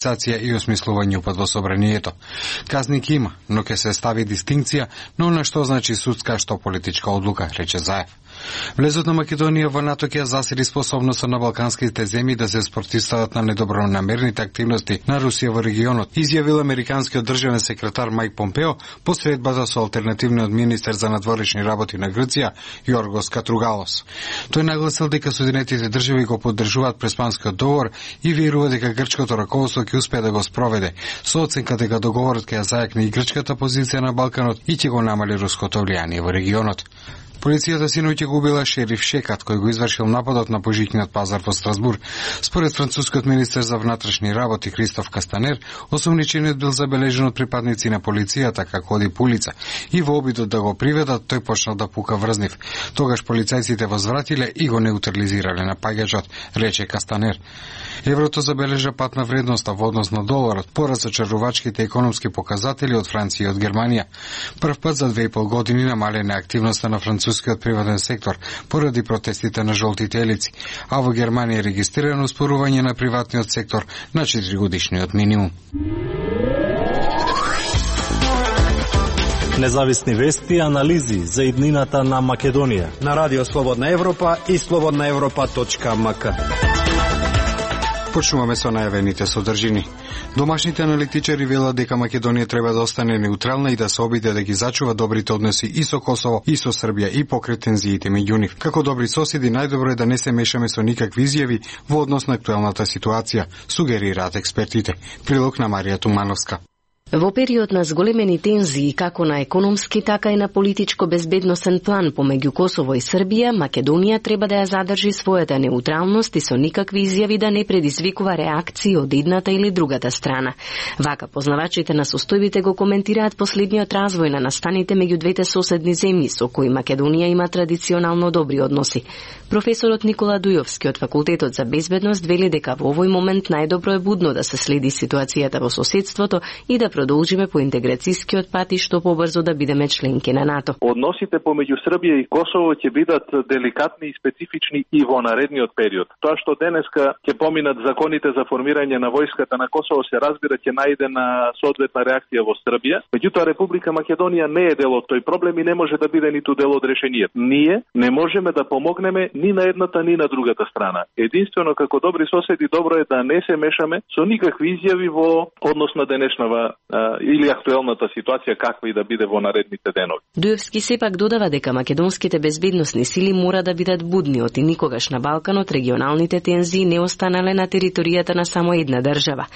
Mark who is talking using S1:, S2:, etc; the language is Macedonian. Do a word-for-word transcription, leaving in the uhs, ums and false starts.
S1: и осмислување упат во собранието. Казник има, но ќе се стави дистинкција на она што значи судска, што политичка одлука, рече Заев. Влезот на Македонија во НАТО ќе засили способноста на балканските земји да се спротивстават на недобронамерните активности на Русија во регионот, изјавил американскиот државен секретар Мајк Помпео по средбата со алтернативниот министер за надворешни работи на Грција Јоргос Катругалос. Тој нагласил дека Соединетите држави го поддржуваат Преспанскиот договор и верува дека грчкото раководство ќе успее да го спроведе, со оценка дека договорот ќе ја зајакне и грчката позиција на Балканот и ќе го намали руското влијание во регионот. Полицијата синоќа го убила шериф Шекат, кој го извршил нападот на Божичниот пазар во Страсбур. Според францускиот министер за внатрешни работи Кристоф Кастанер, осумничениот бил забележен од припадници на полицијата како оди по улица и во обидот да го приведат, тој почнал да пука врз нив. Тогаш полицајците возвратиле и го неутрализирале напаѓачот, рече Кастанер. Еврото забележа пат на вредноста во однос на доларот, поради зачарувачките економски показатели од Франција и од Германија. Прв пат за две и пол години намалена активноста на францускиот приватен сектор поради протестите на жолтите елици, а во Германија е регистрирано успорување на приватниот сектор на четиригодишниот минимум.
S2: Независни вести и анализи за иднината на Македонија
S3: на Радио Слободна Европа и слободна европа точка ем ка.
S1: Почнуваме со најавените содржини. Домашните аналитичари велат дека Македонија треба да остане неутрална и да се обиде да ги зачува добрите односи и со Косово, и со Србија, и покрај тензиите меѓу нив. Како добри соседи, најдобро е да не се мешаме со никакви изјави во однос на актуелната ситуација, сугерираат експертите. Прилог на Марија Тумановска.
S4: Во период на зголемени тензии како на економски, така и на политичко-безбедносен план помеѓу Косово и Србија, Македонија треба да ја задржи својата неутралност и со никакви изјави да не предизвикува реакции од едната или другата страна. Вака познавачите на состојбите го коментираат последниот развој на настаните меѓу двете соседни земји со кои Македонија има традиционално добри односи. Професорот Никола Дујовски од Факултетот за безбедност вели дека во овој момент најдобро е будно да се следи ситуацијата во соседството и да продолжиме по интеграцијскиот пат и што побрзо да бидеме членки на НАТО.
S5: Односите помеѓу Србија и Косово ќе бидат деликатни и специфични и во наредниот период. Тоа што денеска ќе поминат законите за формирање на војската на Косово се разбира ќе најде на соодветна реакција во Србија. Меѓутоа Република Македонија не е дел од тој проблем и не може да биде ниту дел од решението. Ние не можеме да помогнеме ни на едната ни на другата страна. Единствено како добри соседи добро е да не се мешаме со никакви изјави во однос на денешнава или актуелната ситуација каква и да биде во наредните денови.
S4: Дуевски сепак додава дека македонските безбедносни сили мора да бидат будни оти никогаш на Балканот регионалните тензии не останале на територијата на само една држава.